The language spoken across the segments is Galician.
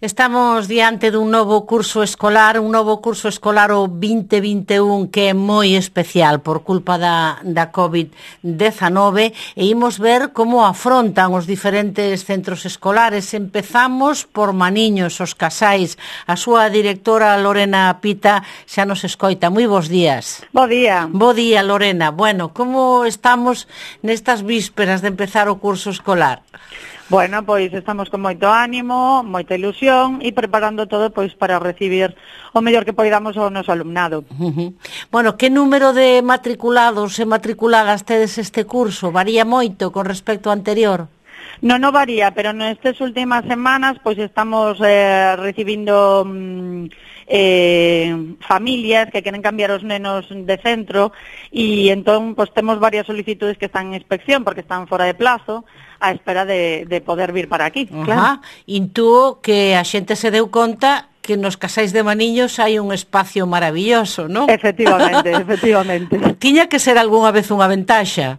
Estamos diante dun novo curso escolar o 2021 que é moi especial por culpa da COVID-19 e imos ver como afrontan os diferentes centros escolares. Empezamos por Maniños, os casais. A súa directora Lorena Pita xa nos escoita. Moi bons días. Bo día. Bo día, Lorena. Bueno, como estamos nestas vísperas de empezar o curso escolar? Bueno, pois estamos con moito ánimo, moita ilusión e preparando todo pois para recibir o mellor que poidamos ao noso alumnado. Bueno, que número de matriculados e matriculadas tedes este curso? Varía moito con respecto ao anterior? Non varía, pero nestas últimas semanas pois estamos recibindo familias que queren cambiar os nenos de centro e entón pois temos varias solicitudes que están en inspección porque están fora de plazo á espera de poder vir para aquí. Claro. Intuo que a xente se deu conta que nos casais de Maniños hai un espacio maravilloso, non? Efectivamente, efectivamente. Tiña que ser algunha vez unha ventaxa.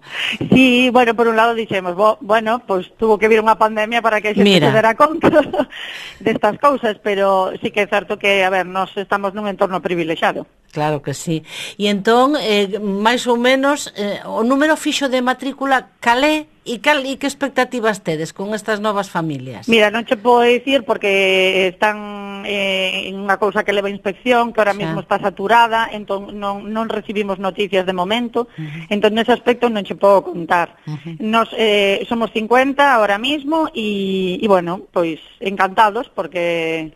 Sí, bueno, por un lado dixemos, bueno, pois tuvo que vir unha pandemia para que a xente se dera conta destas cousas, pero sí que é certo que, a ver, nós estamos nun entorno privilexiado. Claro que sí. E entón, máis ou menos, o número fixo de matrícula calé e que expectativas tedes con estas novas familias? Mira, non che podo dicir porque están en unha cousa que leva inspección, que ahora mesmo está saturada, entón non recibimos noticias de momento, entón nese aspecto non che podo contar. Nos somos 50 ahora mesmo e bueno, pois encantados porque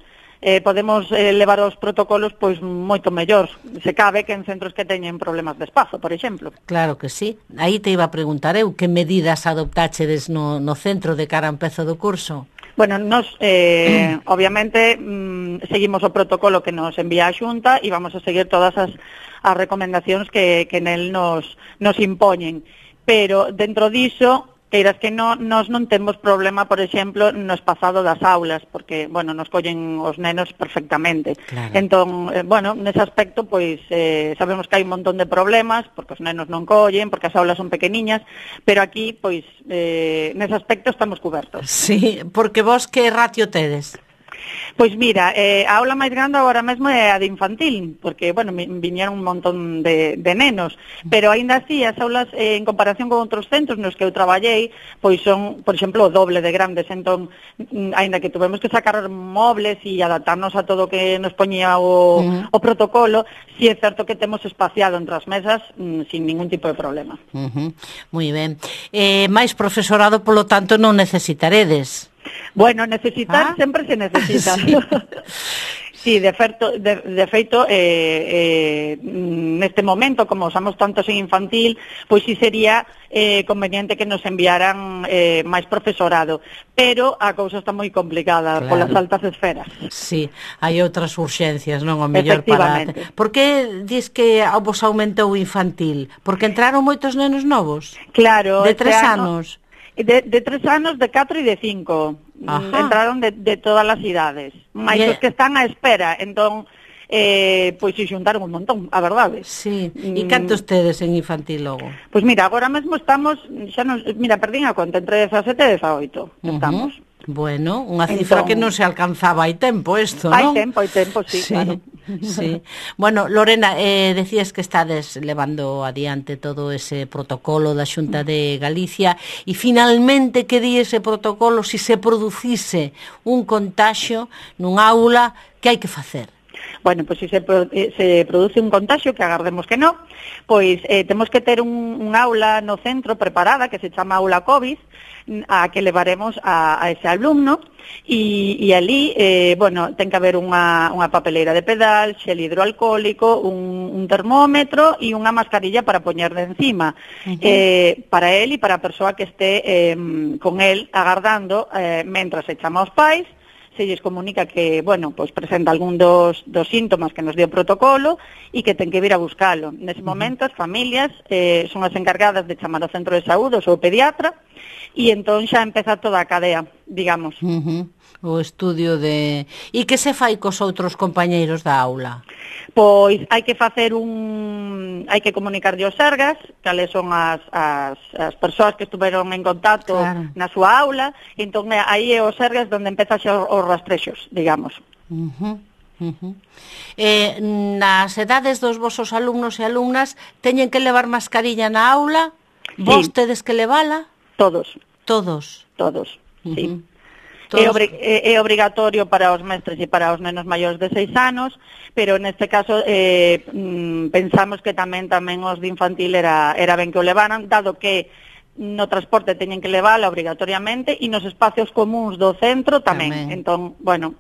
podemos levar os protocolos pois moito mellor, se cabe que en centros que teñen problemas de espazo, por exemplo. Claro que sí. Aí te iba a preguntar eu, que medidas adoptáchedes no centro de cara a empezo do curso? Bueno, nos, obviamente, seguimos o protocolo que nos envía a Xunta e vamos a seguir todas as recomendacións que nel nos impoñen. Pero, dentro diso, queiras que nos non temos problema, por exemplo, no espazado das aulas, porque, bueno, nos collen os nenos perfectamente. Claro. Entón, bueno, nese aspecto, pois, sabemos que hai un montón de problemas, porque os nenos non collen, porque as aulas son pequeniñas, pero aquí, pois, nese aspecto estamos cubertos. Sí, porque vos que ratio tedes? Pois mira, a aula máis grande agora mesmo é a de infantil, porque, bueno, viñeron un montón de nenos, pero aínda así as aulas en comparación con outros centros nos que eu traballei, pois son, por exemplo, o doble de grandes, entón, aínda que tuvemos que sacar mobles e adaptarnos a todo o que nos poñía o protocolo, si é certo que temos espaciado entre as mesas sin ningún tipo de problema. Moi ben. Mais profesorado, polo tanto, non necesitaredes? Bueno, necesitar sempre se necesita. Sí. Sí, de feito, neste momento, como usamos tantos en infantil, pois sí sería conveniente que nos enviaran máis profesorado, pero a cousa está moi complicada, claro, polas altas esferas. Sí, hai outras urxencias, non? O mellor para... Por que dis que vos aumentou o infantil? Porque entraron moitos nenos novos? Claro. De 3 anos? De 3 anos, de 4 e de 5. Entraron de todas as idades. Mais os que están á espera, entón, pois se xuntaron un montón, a verdade. Sí. E cantos tedes en infantil logo? Pois mira, agora mesmo estamos, mira, perdín a conta, entre 17 e 18 estamos. Bueno, unha cifra que non se alcanzaba hai tempo isto, non? Hai tempo, sí, claro. Sí. Bueno, Lorena, decías que estades levando adiante todo ese protocolo da Xunta de Galicia e finalmente que di ese protocolo, se producise un contaxio nun aula, que hai que facer? Bueno, pois se produce un contagio, que agardemos que non, pois temos que ter un aula no centro preparada, que se chama aula COVID, a que levaremos a ese alumno, e ali, bueno, ten que haber unha papeleira de pedal, xel hidroalcohólico, un termómetro e unha mascarilla para poñer de encima, para él e para a persoa que este con él agardando, mentras se chama aos pais, se lles comunica que, bueno, pois presenta algún dos síntomas que nos dio o protocolo e que ten que vir a buscalo. Nese momento, as familias son as encargadas de chamar ao centro de saúde ou ao pediatra e entón xa empeza toda a cadea, digamos. O estudio de... E que se fai cos outros compañeiros da aula? Pois hai que facer hai que comunicarlle aos sergas cales son as persoas que estuveron en contacto na súa aula, e entón aí é os sergas onde empeza xa os rastrexos, digamos. Nas edades dos vosos alumnos e alumnas teñen que levar mascarilla na aula? Vos tedes que levala? Todos, sí. É obrigatorio para os mestres e para os nenos maiores de 6 anos, pero neste caso pensamos que tamén os de infantil era ben que o levaran, dado que no transporte teñen que levala obrigatoriamente e nos espacios comuns do centro tamén. Entón, bueno,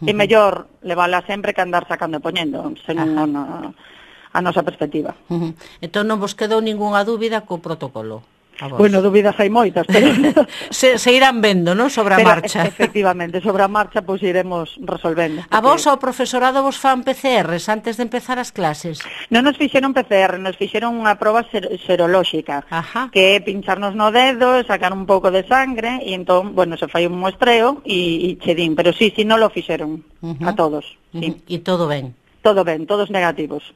é mellor levala sempre que andar sacando e poñendo, según a nosa perspectiva. Entón non vos quedou ningunha dúbida co protocolo? Bueno, dúbidas hai moitas, pero... se irán vendo, non? Sobre a marcha. Efectivamente, sobre a marcha, pois iremos resolvendo. A vos, ao profesorado, vos fan PCRs antes de empezar as clases? Non nos fixeron PCR, nos fixeron unha proba serolóxica, que é pincharnos no dedo, sacar un pouco de sangre, e entón, bueno, se fai un muestreo e che din, pero sí, non lo fixeron a todos. E todo ben? Todo ben, todos negativos.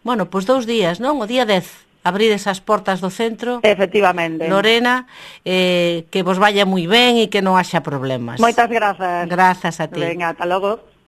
Bueno, pois 2 días, non? O día 10. Abrir esas portas do centro. Efectivamente. Lorena, que vos vaya moi ben e que non haxa problemas. Moitas grazas. Grazas a ti. Venga, ata logo.